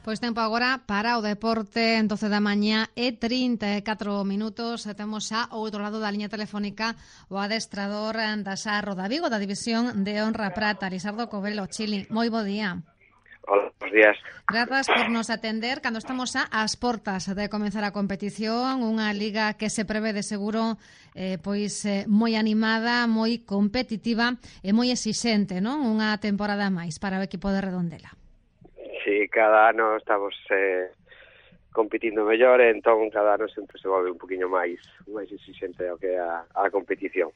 Pois tempo agora para o deporte en 12 da mañá e 34 minutos. Temos xa ao outro lado da liña telefónica o adestrador da Sarro da Vigo, da División de Honra Prata, Lisardo Covelo. Chili, moi bo día. Hola, buenos días. Grazas por nos atender cando estamos xa ás portas de comenzar a competición, unha liga que se prevé de seguro moi animada, moi competitiva e moi exixente, non? Unha temporada máis para o equipo de Redondela. Sí, cada ano estamos competindo mellor, entón cada ano sempre se volve un poquinho máis exixente ao que é a competición.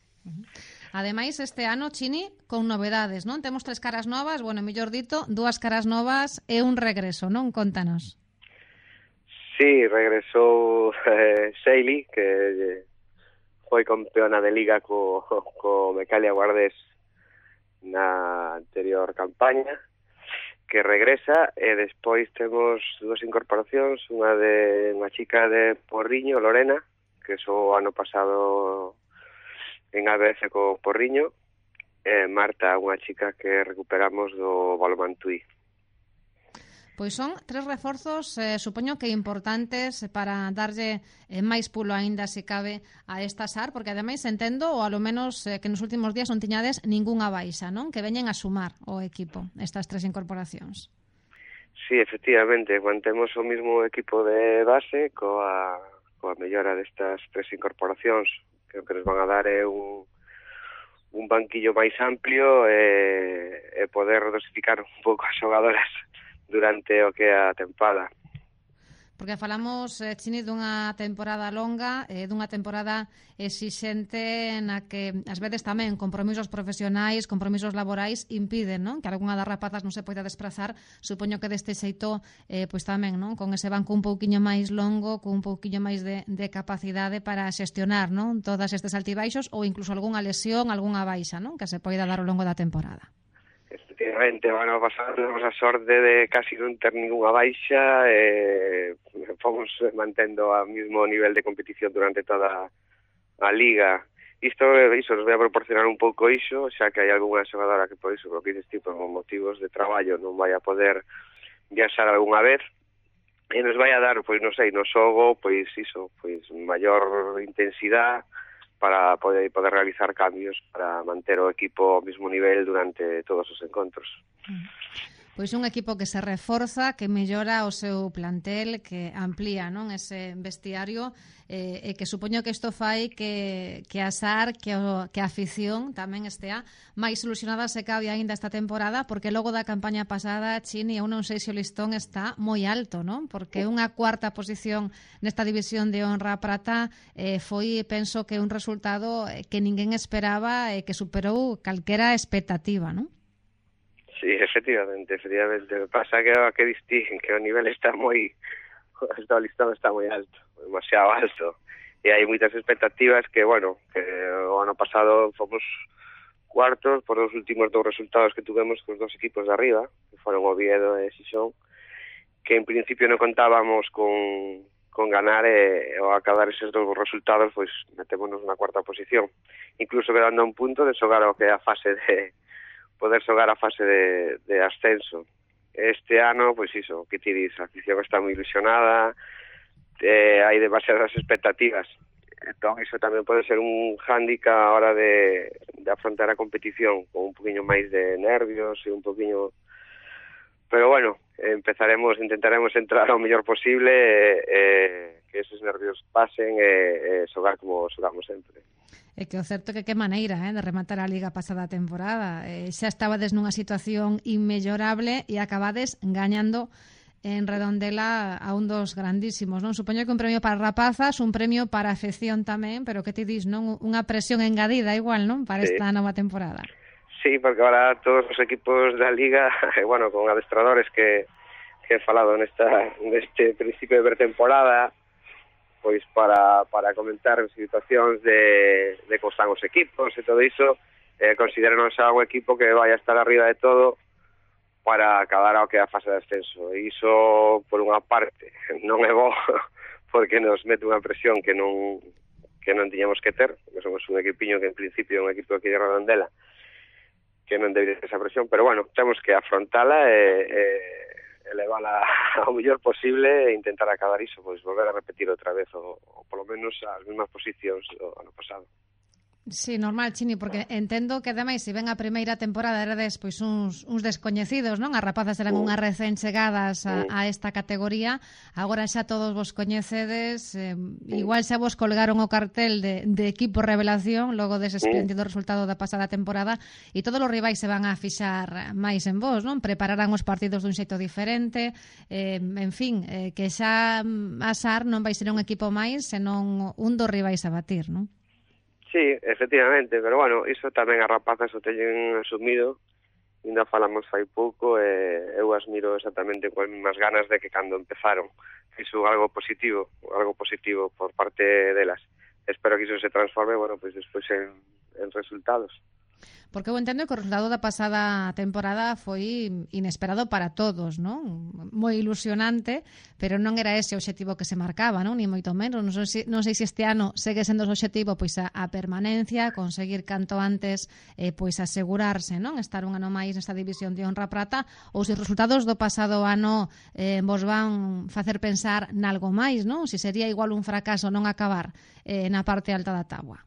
Ademais, este ano, Chini, con novedades, non? Temos 3 caras novas, bueno, mellor dito, 2 caras novas e un regreso, non? Contanos. Sí, regresou Seili, que foi campeona de liga co Mecalia Guardés na anterior campaña, que regresa, e despois temos 2 incorporacións, unha chica de Porriño, Lorena, que o ano pasado en ABF co Porriño, e Marta, unha chica que recuperamos do Balomantui. Pois son 3 reforzos, supoño que importantes para darlle máis pulo aínda, se cabe, a esta SAR, porque ademais entendo, ou alo menos que nos últimos días non tiñades ningunha baixa, non? Que veñen a sumar o equipo, estas 3 incorporacións. Sí, efectivamente, mantemos o mismo equipo de base coa mellora destas 3 incorporacións, que o que nos van a dar é un banquillo máis amplio e poder dosificar un pouco as xogadoras durante o que é a tempada. Porque falamos, Chini, dunha temporada longa, dunha temporada exixente na que, ás veces tamén, compromisos profesionais, compromisos laborais impiden, non? Que algunha das rapazas non se poida desplazar. Supoño que deste xeito, pois tamén, non? Con ese banco un pouquiño máis longo, con un pouquiño máis de capacidade para xestionar, non? Todas estes altibaixos ou incluso algunha lesión, algunha baixa, non? Que se poida dar ao longo da temporada. Efectivamente, o ano pasado temos a sorte de casi non ter ninguna baixa e fomos mantendo o mismo nivel de competición durante toda a liga. Iso nos vai a proporcionar un pouco iso, xa que hai algunha xogadora que por iso, por que dices tipo, por motivos de traballo non vai a poder viaxar algunha vez, e nos vai a dar, pois non sei, no xogo, pois iso, pois maior intensidade para poder realizar cambios para manter o equipo ao mesmo nivel durante todos os encontros. Pois un equipo que se reforza, que mellora o seu plantel, que amplía, non, ese vestiario, e que supoño que isto fai que a SAR, que a afición tamén estea máis ilusionada se cabe aínda esta temporada, porque logo da campaña pasada, Chini, eu non sei se o listón está moi alto, non? Porque unha 4ª posición nesta división de honra prata foi, penso que un resultado que ninguén esperaba e que superou calquera expectativa, non? Sí, efectivamente. Pasa que distinguen que o nivel está moi... O listón está moi alto, demasiado alto. E hai moitas expectativas que, bueno, que o ano pasado fomos cuartos por os últimos 2 resultados que tuvemos cos 2 equipos de arriba, que foron Oviedo e Xixón, que en principio non contábamos con ganar e ao acabar eses 2 resultados, pois metémonos na 4ª posición. Incluso quedando a un punto de xogar o que é a fase de... poder xogar a fase de ascenso. Este ano, pois iso, que ti dis, a afición está moi ilusionada, hai demasiadas expectativas. Entón, iso tamén pode ser un hándicap a hora de afrontar a competición, con un poquinho máis de nervios e un poquinho... Pero bueno, intentaremos entrar ao mellor posible e que esos nervios pasen e xogar como xogamos sempre. É que o certo é que maneira de rematar a liga pasada temporada. Xa estabades nunha situación inmellorable e acabades gañando en Redondela a un dos grandísimos, non? Supoño que un premio para rapazas, un premio para a afección tamén, pero que ti dis, non? Unha presión engadida igual, non? Para esta nova temporada. Sí, porque ahora todos os equipos da liga, bueno, con adestradores que he falado neste principio de pretemporada, pois para comentar situacións de como están os equipos e todo iso, considéranos a un equipo que vai a estar arriba de todo para acabar ao que é a fase de ascenso. E iso, por unha parte, non é bo, porque nos mete unha presión que non tiñamos que ter, porque somos un equipiño que en principio é un equipo aquí de Redondela, que non debería ter esa presión, pero bueno, temos que afrontala e elevala ao mellor posible e intentar acabar iso, pois volver a repetir outra vez ou polo menos as mesmas posicións do ano pasado. Sí, normal, Chini, porque entendo que ademais se ven a primeira temporada erades pois uns descoñecidos, non? As rapazas eran unhas recén chegadas a esta categoría, agora xa todos vos coñecedes, igual xa vos colgaron o cartel de equipo revelación logo dese espléndido resultado da pasada temporada e todos os rivais se van a fixar máis en vos, non? Prepararán os partidos dun xeito diferente, en fin, que xa a SAR non vai ser un equipo máis, senón un dos rivais a batir, non? Sí, efectivamente, pero bueno, iso tamén as rapazas o teñen asumido, ainda falamos fai pouco e eu as miro exactamente coas mesmas ganas de que cando empezaron. Iso algo positivo por parte delas. Espero que iso se transforme, bueno, pois despois en resultados. Porque eu entendo que o resultado da pasada temporada foi inesperado para todos, non? Moi ilusionante, pero non era ese o obxectivo que se marcaba, non? Ni moito menos. Non sei se este ano segue sendo o obxectivo pois a permanencia, conseguir canto antes pois asegurarse, non? Estar un ano máis nesta división de honra prata, ou se os resultados do pasado ano vos van facer pensar nalgo máis, non? Se sería igual un fracaso non acabar na parte alta da táboa.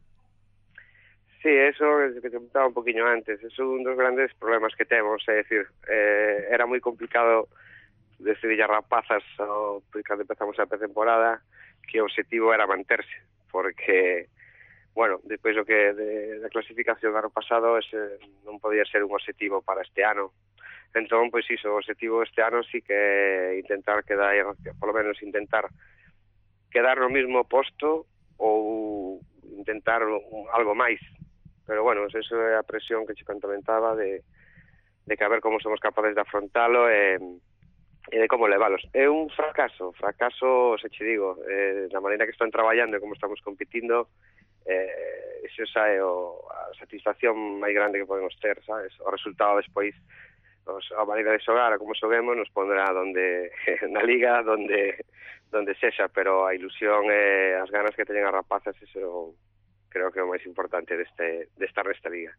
Sí, eso es que te comentaba un poquinho antes. Es un dos grandes problemas que temos, é dicir, era moi complicado decidir as rapazas cando empezamos a pretemporada que o objetivo era manterse, porque, bueno, despois do que da clasificación do ano pasado ese non podía ser un objetivo para este ano. Entón, pois iso, o objetivo este ano sí que intentar quedar, polo menos intentar quedar no mismo posto ou intentar algo máis. Pero bueno, eso é a presión que che comentaba de que a ver como somos capaces de afrontalo e de como levalos. É un fracaso, se che digo, da maneira que están traballando e como estamos competindo, iso xa é a satisfacción máis grande que podemos ter, sabes? O resultado despois, a maneira de xogar, a como xoguemos, nos pondrá na liga, donde sexa, pero a ilusión e as ganas que teñen as rapazas, iso creo que é o máis importante de estar nesta liga.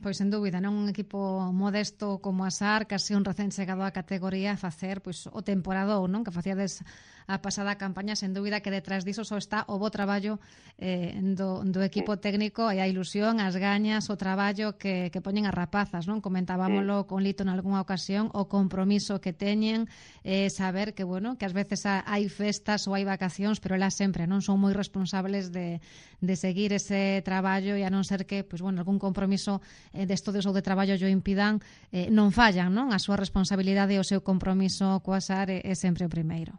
Pois, sen dúbida, non un equipo modesto como a SAR, casi un recén chegado á categoría, facer pois o temporadón, non? Que facíades a pasada campaña, sen dúbida que detrás diso só está o bo traballo do equipo técnico e a ilusión, as gañas, o traballo que poñen as rapazas, non? Comentábamolo con Lito en algunha ocasión, o compromiso que teñen, saber que, bueno, que ás veces hai festas ou hai vacacións, pero elas sempre non son moi responsables de seguir ese traballo e a non ser que, pois, bueno, algún compromiso de estudios ou de traballo yo impidan, non fallan, non? A súa responsabilidade e o seu compromiso coa SAR é sempre o primeiro.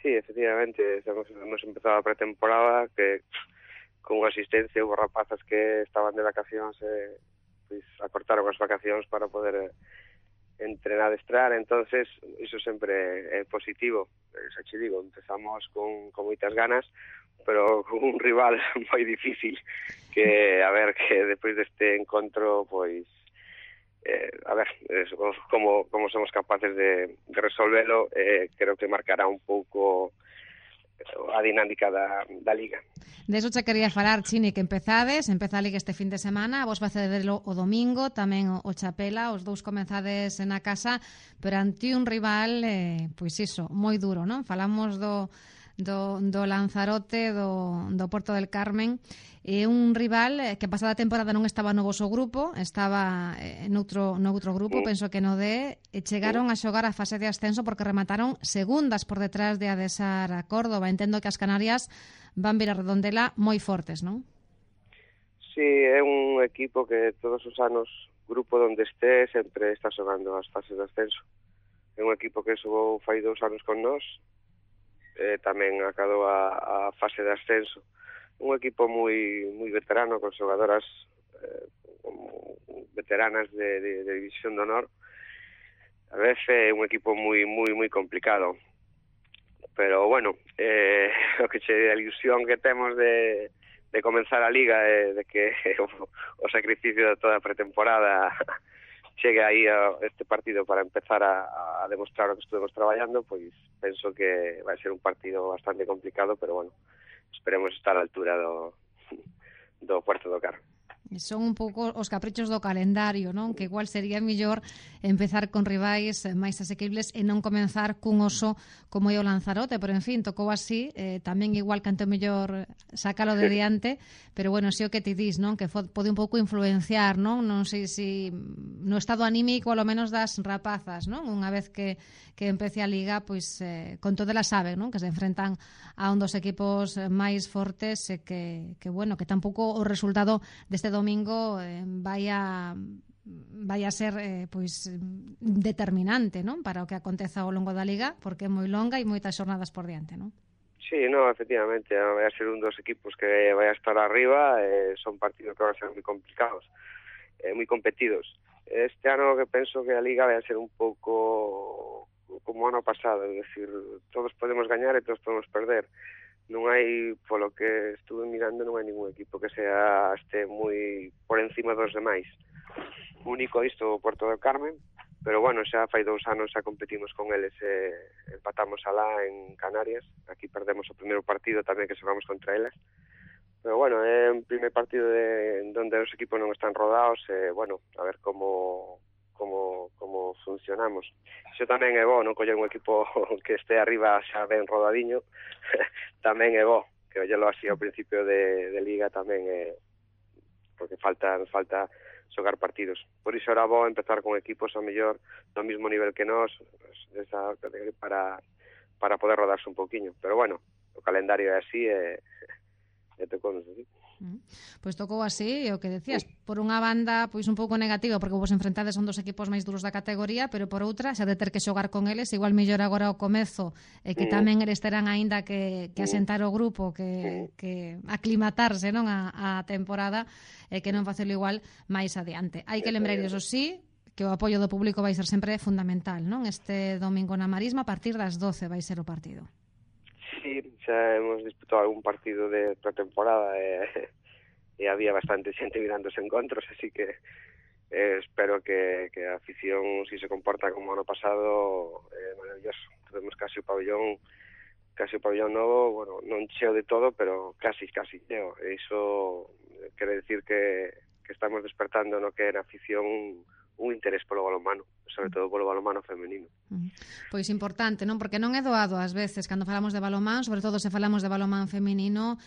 Sí, efectivamente, hemos empezado a pretemporada que con unha asistencia houve rapazas que estaban de vacacións pois acortaron as vacacións para poder entrenar, adestrar, entonces iso sempre é positivo. Xa che digo, empezamos con moitas ganas, pero con un rival moi difícil que, a ver, que despois deste encontro, pois a ver, como somos capaces de resolvelo, creo que marcará un pouco a dinámica da Liga. De eso che quería falar, Chini, que empeza a Liga este fin de semana, vos vai cedelo o domingo, tamén o Chapela, os dous comenzades na casa, pero ante un rival, pois iso, moi duro, non? Falamos do Lanzarote, do Porto del Carmen, e un rival que pasada temporada non estaba no voso grupo, estaba noutro grupo, penso que no D, e chegaron a xogar a fase de ascenso porque remataron segundas por detrás de Adesar a Córdoba. Entendo que as Canarias van vir a Redondela moi fortes, non? Sí, é un equipo que todos os anos, grupo donde esté, sempre está xogando as fases de ascenso. É un equipo que xogou fai 2 anos con nós, tamén acadou a fase de ascenso. Un equipo moi veterano, con xogadoras veteranas de División de Honor. A veces é un equipo moi complicado. Pero, bueno, o que a ilusión que temos de comenzar a Liga de que o sacrificio de toda a pretemporada chegue aí a este partido para empezar a demostrar o que estuvemos traballando, pois penso que vai ser un partido bastante complicado, pero bueno, esperemos estar á altura do Puerto do Carmen. Son un pouco os caprichos do calendario, non? Que igual sería mellor empezar con rivais máis asequibles e non comenzar cun oso como é o Lanzarote, pero en fin, tocou así, tamén igual canto mellor sacalo de diante, pero bueno, si o que ti dis, non? Que pode un pouco influenciar, non? Non sei se no estado anímico, ao menos das rapazas, non? Unha vez que empece a Liga, pois con todo elas saben, non? Que se enfrentan a un dos equipos máis fortes e que bueno, que tampouco o resultado deste domingo vai a ser pois determinante, non? Para o que aconteza ao longo da Liga, porque é moi longa e moitas xornadas por diante, non? Sí, no, efectivamente, vai a ser un dos equipos que vai a estar arriba, son partidos que van a ser moi complicados, moi competidos. Este ano que penso que a Liga vai a ser un pouco como ano pasado, é dicir, todos podemos gañar e todos podemos perder. Non hai, polo que estuve mirando, non hai ningún equipo que este moi por encima dos demais. Único isto o Puerto del Carmen, pero bueno, xa fai 2 anos xa competimos con eles, empatamos alá en Canarias, aquí perdemos o primeiro partido tamén que xogamos contra eles, pero bueno, é un primer partido donde os equipos non están rodados, bueno, a ver como funcionamos. Iso tamén é bo, non coller un equipo que este arriba xa ben rodadiño, tamén é bo, que ollelo así ao principio de Liga tamén é, porque falta xogar partidos. Por iso era bo empezar con equipos ao mellor do mesmo nivel que nós, para poder rodarse un poquinho. Pero bueno, o calendario é así e tocou nos así. Pois tocou así, o que decías, por unha banda pois un pouco negativo, porque vos enfrentades son dos equipos máis duros da categoría, pero por outra, xa de ter que xogar con eles, igual mellor agora ao comezo, que tamén eles terán aínda que asentar o grupo, que aclimatarse, non, a temporada, que non facelo igual máis adiante. Hai que lembrar iso sí, que o apoio do público vai ser sempre fundamental, non? Este domingo na Marisma, a partir das 12 vai ser o partido. Sí, xa hemos disputado algún partido de pretemporada e había bastante xente mirando os encontros, así que espero que a afición, si se comporta como ano pasado, maravilloso. Temos casi o pabellón novo, bueno, non cheo de todo, pero casi cheo. E iso quere decir que estamos despertando no que é na afición un interés polo balonmano, sobre todo polo balonmano femenino. Pois importante, non? Porque non é doado ás veces, cando falamos de balonmán, sobre todo se falamos de balonmán femenino,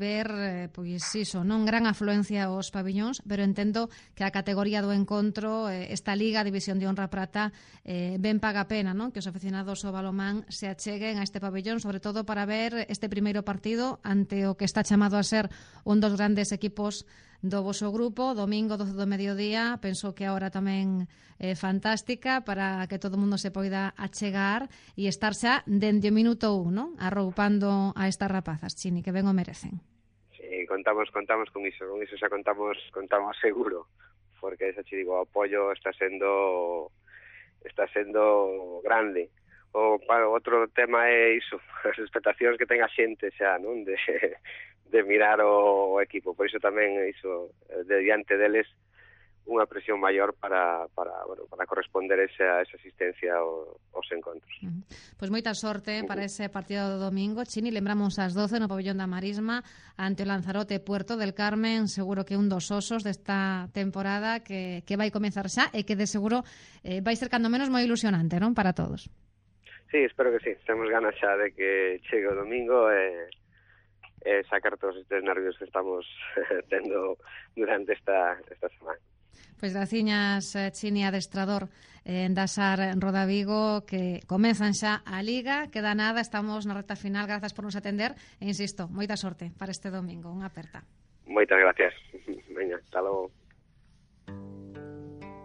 ver, pois iso, non gran afluencia aos pabillóns, pero entendo que a categoría do encontro, esta Liga, División de Honra Prata, ben paga a pena, non? Que os aficionados ao balonmán se acheguen a este pabillón, sobre todo para ver este primeiro partido ante o que está chamado a ser un dos grandes equipos do voso grupo, domingo 12 do mediodía. Penso que a hora tamén é fantástica para que todo o mundo se poida achegar e estar xa dende o minuto 1, non? Arroupando a estas rapazas, Chini, que ben o merecen. Sí, contamos con iso xa contamos seguro, porque xa te digo, o apoio está sendo grande. Outro tema é iso, as expectacións que ten a xente xa, non? De mirar o equipo, por iso tamén iso de diante deles unha presión maior para corresponder esa asistencia aos encontros. Pois moita sorte para ese partido do domingo, Chini. Lembramos ás 12 no pabellón da Marisma ante o Lanzarote Puerto del Carmen, seguro que un dos osos desta temporada que vai comezar xa e que de seguro vai ser cando menos moi ilusionante, non, para todos. Sí, espero que sí. Temos ganas xa de que chegue o domingo e sacar todos estes nervios que estamos tendo durante esta semana. Pois graciñas, Chini, adestrador da SAR Rodavigo, que comezan xa a Liga, queda nada, estamos na recta final, grazas por nos atender e insisto, moita sorte para este domingo, unha aperta. Moitas gracias. Veña, hasta logo.